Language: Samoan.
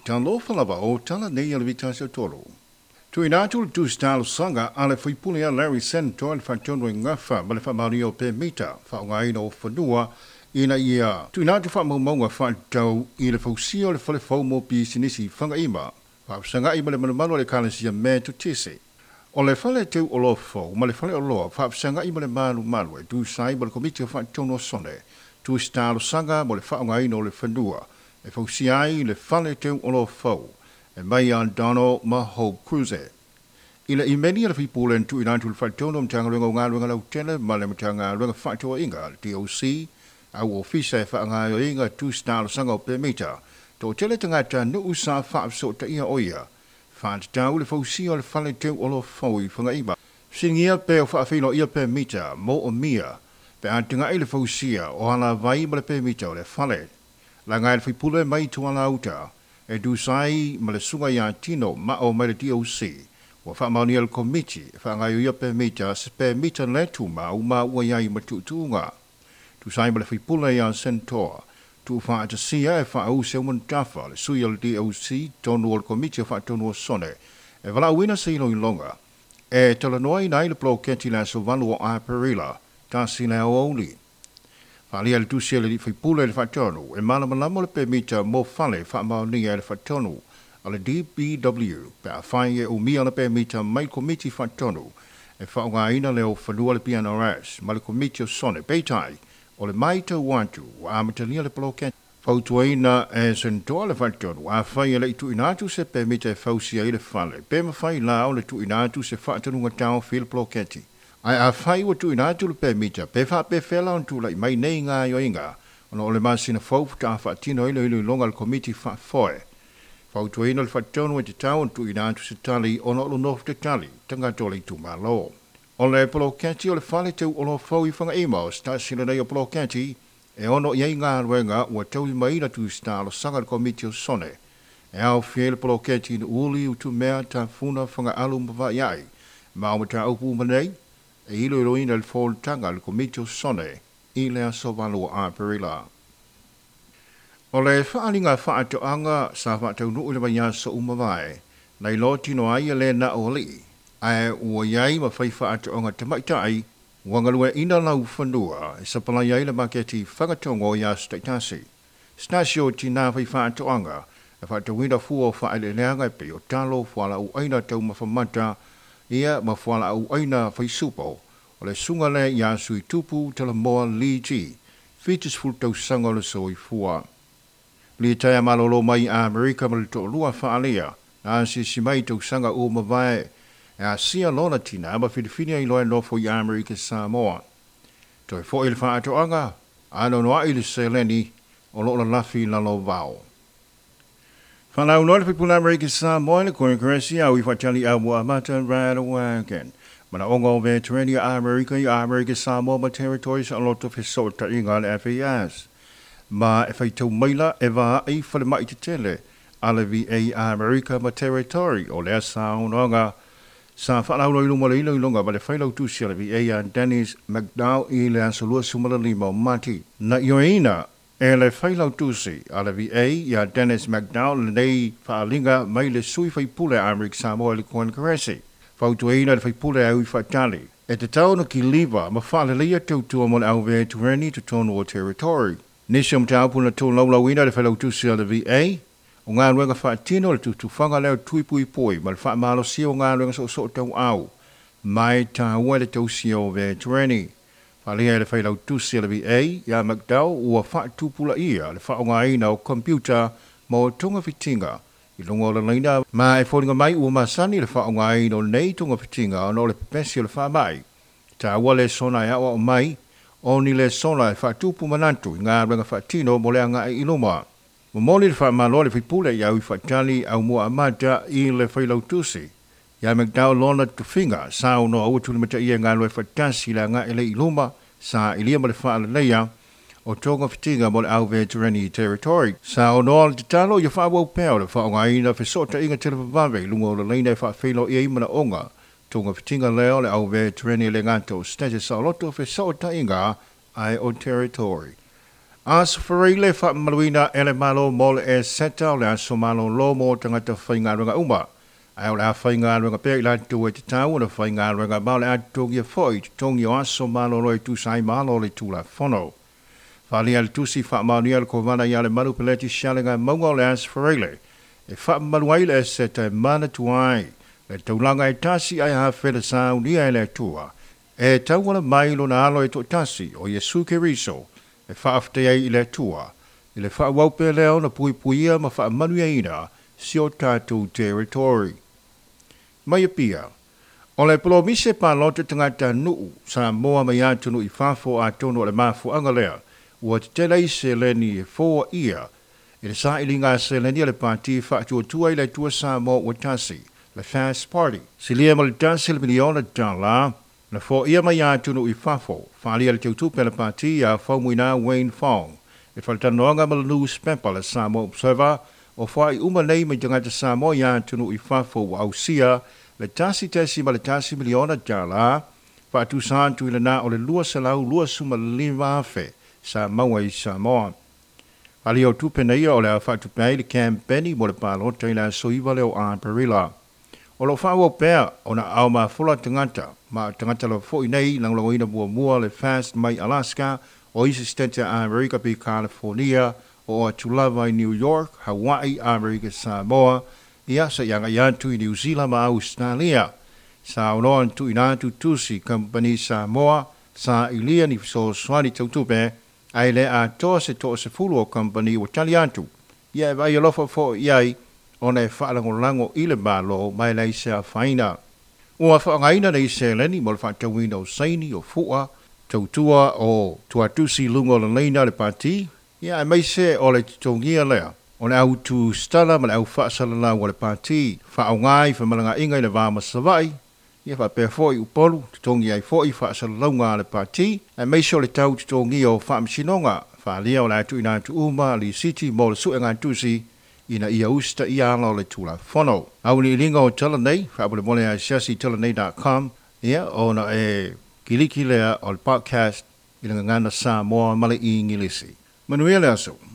Talofa lava o tala nei a le vitasi o tolu. Tuuina atu le tusi talosaga a le faipule a Larry Sentor le faatonu e gafa ma le faamaonia o pemita faaaogaina o fanua ina ia tuuina atu faamaumauga faatatau i le fausia o le fale fou mo pisinisi i Fagaima, faafesagai ma le malumalu a le Ekalesia Metotisi. O le fale teu oloa fou ma le fale oloa faafesagai ma le malumalu e tusa ai ma le Komiti o Faatonu o Sone, tusi talosaga mo le faaaogaina o le fanua e fausia ai le fale teu oloa fou e mai a Donald ma Hope Cruise. I le imeli a le faipule na tuuina atu i le Faatonu o Matagaluega o Galuega Lautele ma le Matagaluega Faatoaiga, le DOC, au ofisa e faagaoioiga tusi talosaga o pemita, toatele tagata nuu sa faafesootaia o ia, faatatau le fausia o le fale teu oloa fou i Fagaima. Fesiligia pe o faafeiloaia pemita mo o mia pe a tagai le fausia o alavai ma le pemita o le fale. Laga e le faipule mai Tualauta e tusa ai ma le susuga ia Tino Mao mai le DOC, ua faamaonia le Komiti e faagaoioia pemita se pemita le tumau ma ua i ai ma tuutuuga. Tusa ai ma le faipule ia Sentoa, tuufaatasia e Faauu Seumanutafa le sui o le DOC tonu o le Komiti o Faatonu o Sone e valaauina se iloiloga e talanoaina ai le poloketi i le aso 8 o Aperila 1 le aoauli. Faaalia le tusi a le alii faipule i le faatonu e malamalama le pemita mo fale faamaonia e le faatonu a le DPW pe afai e umia le pemita mai le Komiti Faatonu e faaaogaina le fanua le PNRS ma le Komiti o Sone. Peitai, o le matau atu ua amatalia le poloketi. Fautuaina e Sentoa le faatonu afai e le i tuuina atu se pemita e fausia ai le fale, pe mafai la o le tuuina atu se faatanuga taofi i le poloketi. Ae afai ua tuuina atu le pemita, pe faapefea la ona tulai mai nei gaoioiga ona o le masina fou faatoa faatino ai le iloiloga a le Komiti Faafoe. Fautuaina le faatonu e tatau ona tuuina atu se tali ona o lo nofo tatali tagata o le itumalo. O le poloketi o le fale teu oloa fou i Fagaima o se tasi lenei o poloketi e ono i ai galuega ua taulimaina tusi talosaga a le Komiti o Sone e aofia ai le poloketi i Nuuuli, Utumea, Tafuna, Fagaalu ma Vaiai. Ma o mataupu uma nei e iloiloina i le fonotaga a le Komiti o Sone i le aso 8 o Aperila. O le faaaliga faatoaga sa faataunuu i le vaiaso ua mavae, na iloa tino ai e le na o alii, ae ua i ai ma fai faatoaga tamaitai ua galueaiina laufanua e sapalai ai le maketi fagatogo i aso taitasi. Se tasi o tinā fai faatoaga e faatauina fua o faaeleeleaga e pei o talo, fualaau aina taumafa mata, ia ma fualaau aina faisupo, o le susuga lea ia Suitupu Talamoa Lee G, 70 tausaga o le soifua. Litaea malolo mai i Amerika ma le toalua faaalea, na asiasi mai i tausaga ua mavae e asia lona tina ma filifili ai loa e nofo i Amerika Samoa. Toe foi i le faatoaga, anoanoai le seleni o lo o lalafi i lalo o vao. Faalauiloa le faipule Amerika Samoa i le Konekeresi au i faatali au ua amata Radwagon. Manaoga o Veterani a Amerika i Amerika Samoa ma Territories Saoloto Fesootaiga a le FAS. Ma e faitau maila e vaai falemai tetele a le VA Amerika ma Territory o lea saunoaga sa faalauiloa i luma o le iloiloga ma le failautusi a le VA ia Dennis McDowell i le aso 25 o Mati. Na ioeina e le failautusi a le VA ia Dennis McDowell lenei faaaliga mai le sui faipule a Amerika Samoa i le Konekeresi. Fautuaina le faipule a ui faatali e tatau ona kiliva ma faaleleia tautua mo le au veterani i totonu o Territory. Nisi o mataupu na tolaulauina e le failautusi a le VA, o galuega faatino le tutufaga lea o tui puipui ma le faamalosia o galuega soosoo tauau ma e taua i le tausia o veterani. Faaalia e le failautusi a le VA ia McDowell ua faatupulaia le faaaogaina o computer mo togafitiga i luga o le laina ma e foliga mai ua masani le faaaogaina o lenei togafitiga ona o le pepesi o le faamai. Taua lesona e aoao mai o ni lesona e faatupu manatu i galuega faatino mo le agai i luma. Momoli le faamalo a le faipule i au i faatali Aumua Amata i le failautusi ia McDowell lona tofiga saunoa ua tulimataia e galulue faatasi i le agai lea i luma sailia ma le faaleleia o togafitiga mo le au veterani Territory. Saunoa le tatalo ia faaauau pea o le faaaogaina fesootaiga televavave i luga o le laina e faafeiloai ai manaoga togafitiga lea o le au veterani e le gata o Status Saoloto fesootaiga ae o Territory. Aso Faraile faamamaluina e le Malo mo le Eseta o le aso malōlō mo tagata faigaluega uma. Ae o le a faigaluega pea i latou e tatau ona faigaluega ma o le a totogia foi i totogi o aso malōlō e tusa ai ma ala o le Tulafono. Faaalia i le tusi faamaonia a le Kovana ia Lemalu Peleti Sialegaimauga o le Aso Faraile e faamamalu ai le Eseta e manatua ai le taulaga e tasi ae hafe le saunia e le Atua e tauala mai i lona Alo e toatasi o Iesu Keriso e faafetai ai i le Atua i le faaauau pea lea ona puipuia ma faamanuiaina si o tatou territory. Mai Apia, o le polomise palota tagatanuu Samoa mai atunuu i fafo atonu o le mafuaaga lea ua tetele ai seleni e foaia i le sailiga seleni a le Pati Faatuatua i le Atua Samoa ua Tasi, le FAST Party. Silia ma le $1 miliona na foia mai atunuu i fafo, faaalia le teutupe a le Pati ia Faumuina Wayne Fong i faatalanoaga ma le newspaper le Samoa Observer. O foai uma nei mai tagata Samoa i atunuu i fafo ua ausia le $1.1 miliona, faatusa atu i lena o le 225,000 sa maua i Samoa. Ali o tupe nei o le a faatupe ai le campaign mo le palota i le aso 9 lea o Aperila. O lo o faaauau pea ona ao mafola tagata ma tagata lava foi nei lagolagoina muamua le FAST mai Alaska o isi Setete a Amerika pe California o atu lava i New York, Hawaii, Amerika Samoa, ia seia agai atu i New Zealand ma Australia. Sa aunoa ona tuuina atu tusi kamupani Samoa sailia ni fesoasoani tau tupe, ae le atoa se 30 o kamupani ua tali atu. Ia e vaai alofa foi i ai ona e faalagolago i le Malo ma e leai se afaina. Ua faaaogaina nei seleni mo le faatauina o saini o fua tautua o tuatusi i luga o le laina a le Pati, ia aemaise o le totogia lea o le au tusitala ma le au faasalalau a le Pati, faaaoga i femalagaaiga i le va ma Savaii, ia faapea foi Upolu, totogi ai foi faasalalauga a le Pati, aemaise o le tau totogia o faamasinoga. Faaalia o le a tuuina atu uma lisiti mo le suegatusi ina ia usitaia ala o le Tulafono. Auiliiliga o tala nei, faamolemole asiasi i talanei.com, ia ona e kiliki lea o le podcast i le Gagana Samoa ma le Igilisi. Manuia le aso.